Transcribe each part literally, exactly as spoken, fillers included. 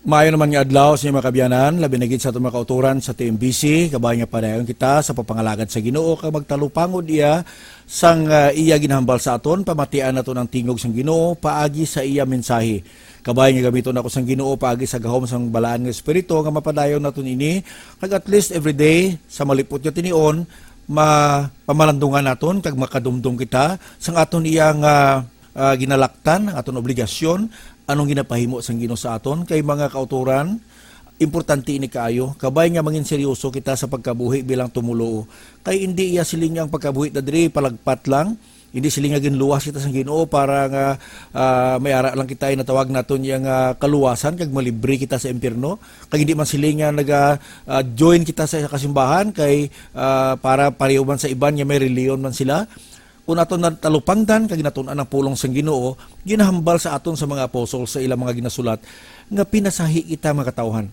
Maayo naman nga adlaw sa inyo, mga kabyanan, labi na gid sa aton mga kautoran sa T M B C. Kabay nga padayon kita sa pagpangalagad sa Ginoo kag magtalupangod iya sang, ah, iya ginahambal sa aton. Pamatian naton ang tingog sang Ginoo paagi sa iya mensahe. Kabay nga gamiton ako sang Ginoo paagi sa gahom sang Balaan nga Espiritu nga mapadayon naton ini, kag at least every day sa malipot nga tinion, ma-, pamalandungan naton kag makadumdom kita sang aton iya nga ah, ginalaktan ang aton obligasyon, anong ginapahimo sang Ginoo sa aton, kay mga kautoran, importante ini kaayo. Kabay nga mangin seryoso kita sa pagkabuhi bilang tumoluo. Kay hindi iya siling nga ang pagkabuhi ta diri palagpat lang. Hindi siling nga ginluwas kita sa Ginoo para nga, ah, may ara lang kita, inatawag naton iya nga kaluwasan kag malibre kita sa impyerno. Kag hindi man siling nga naga, ah, join kita sa kasimbahan kay, ah, para pareho man sa iban nga may reliyon man sila. Kon aton natalupangdan kag natun-an ang pulong sang Ginoo, ginahambal sa aton sa mga apostol sa ilang mga ginasulat nga pinasahi kita, mga katawhan.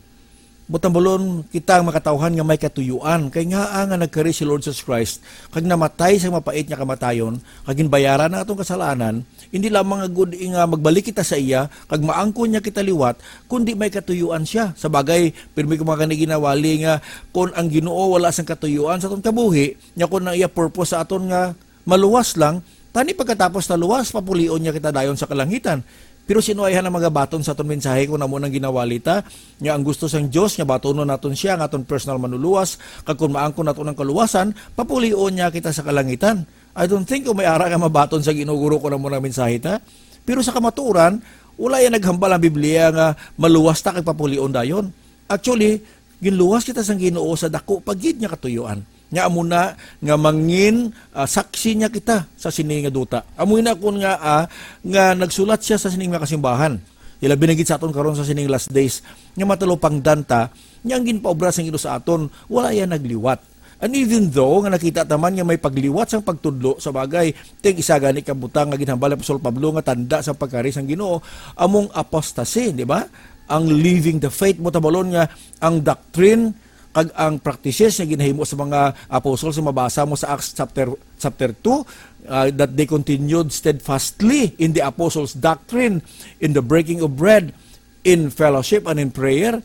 Butambolon kita ang mga katawhan nga may katuyuan, kay ngaa nga nagkari si Lord Jesus Christ kag namatay sa mapait nga kamatayon, kag ginbayaran ang atong kasalanan, hindi lamang nga gud nga magbalik kita sa iya kag maangkon niya kita liwat, kundi may katuyuan siya. Sa bagay, pirmi ko mga kani ginawali nga kon ang Ginoo wala sang katuyuan sa aton kabuhi, nya kon ang iya purpose sa aton nga maluwas lang, tani pagkatapos ta luwas, papulion niya kita dayon sa kalangitan. Pero sino ay ang magabaton sa aton mensahe kung amo nang ginawali ta? Nga ang gusto sang Dios nga batonon naton siya nga aton personal manluluwas, kag kung maangkon naton ang kaluwasan, papulion niya kita sa kalangitan. I don't think kung may ara nga mabaton sa Ginoo, guro, kung amo nang mensahe ta. Pero sa kamatuoran, wala yan naghambal ang Biblia nga maluwas ta kag papulion dayon. Actually, ginluwas kita sang Ginoo sa dako pa gid nga katuyuan. Nga amo na nga mangin, ah, saksi niya kita sa sini nga duta. Amo na kun nga, ah, nga nagsulat siya sa sining mga kasimbahan. Ilabi na gid sa aton karon sa sining last days nga matalupangdan ta nga ang ginpaobra sang Ginoo sa aton wala yan nagliwat. And even though nga nakita ta man nga may pagliwat sang pagtudlo, sa bagay, ting isa gani ka butang nga ginhambal ni Apostol Pablo nga tanda sa pagkari sang Ginoo, among apostasy, di ba? Ang leaving the faith, mo tabalon nga ang doctrine kag ang practices nga ginahimo sa mga apostles nga mabasa mo sa Acts chapter, chapter two, ah, that they continued steadfastly in the apostles' doctrine, in the breaking of bread, in fellowship, and in prayer.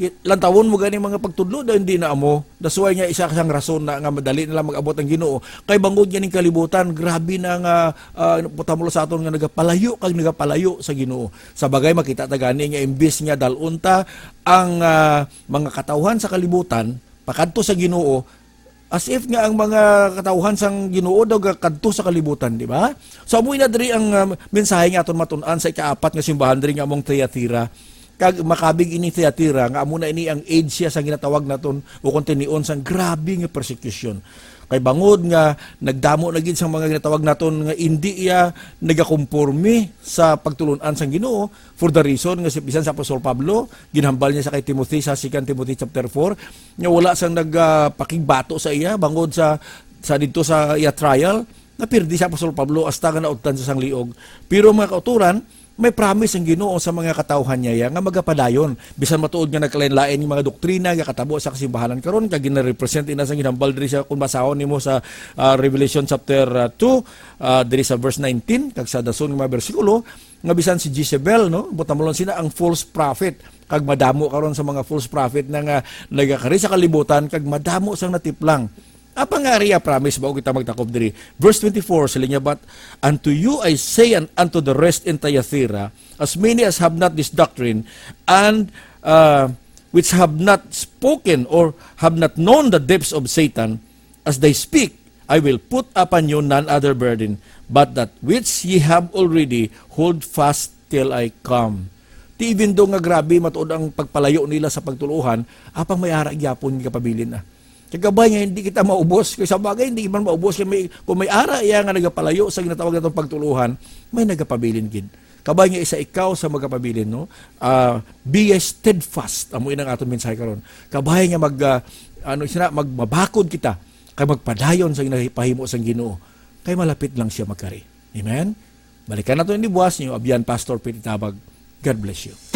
I-, lantawon mo gani mga pagtudlo, daw hindi na amo. That's why nga isa sang rason na nga madali na lang mag-abot ang Ginoo. Kay bangod ganing kalibutan, grabe na nga, ah, putamo sa aton nga nagapalayo kag nagapalayo sa Ginoo. Sa bagay, makita ta gani nga imbis nga dalon ta ang, ah, mga katawhan sa kalibutan pakadto sa Ginoo, as if nga ang mga katawhan sang Ginoo daw gakadto sa kalibutan, di ba? So, amo na diri ang, ah, mensahe nga aton matun-an sa ikaapat nga simbahan diri nga among Thyatira. Kag makabig ini Thyatira nga amo na ini ang age siya sa ginatawag naton o kung tinion sang grabe nga persecution. Kay bangod nga nagdamo na gid sang mga ginatawag naton nga indi iya nagakomporme sa pagtulon-an sang Ginoo, for the reason nga si, bisan sa Apostol Pablo, ginhambal niya sa kay Timothy sa Second Timothy chapter four, nga wala sang nagapakigbato sa iya bangod sa, sa didto sa iya trial, napirdi sa Apostol Pablo hasta nga naudtan sa sang liog. Pero, mga kautoran, may promise ang Ginoo sa mga katawhan niya nga magapadayon, bisan matuod nga nagkalain-lain nga mga doktrina nga katabo sa kasimbahanan karon, kag ginarepresent ina sa ginhambal diri sa, kung basahon nimo sa, ah, Revelation chapter, ah, two, ah, diri sa verse nineteen, kag sa dason nga mga bersikulo, nga bisan si Jezebel, no, butamulon sina ang false prophet, kag madamo karon sa mga false prophet na nga nagakari sa kalibutan, kag madamo sang natiplang. Apa nga ari iya promise, bago kita magtakop diri? Verse twenty-four, siling niya, "But unto you I say, and unto the rest in Thyatira, as many as have not this doctrine, and, uh, which have not spoken or have not known the depths of Satan, as they speak, I will put upon you none other burden, but that which ye have already, hold fast till I come." Ti even though nga grabe matuod ang pagpalayo nila sa pagtuluhan, apang may ara gyapon nga kapabilin na. Kay kabay nga hindi kita maubos. Kay sa bagay, hindi man maubos. Kay may, kung may ara iya nga nagapalayo sa ginatawag natong pagtuluhan, may nagapabilin gid. Kabay nga isa ikaw sa magapabilin, no? Ah, be ye steadfast. Amo inang aton mensahe karon. Kabay nga mag, ah, ano sina, magmabakod kita kay magpadayon sa ginapahimo sang Ginoo. Kay malapit lang siya magkari. Amen? Balikan nato ini buwas, niyo abyan, Pastor Pete Tabag. God bless you.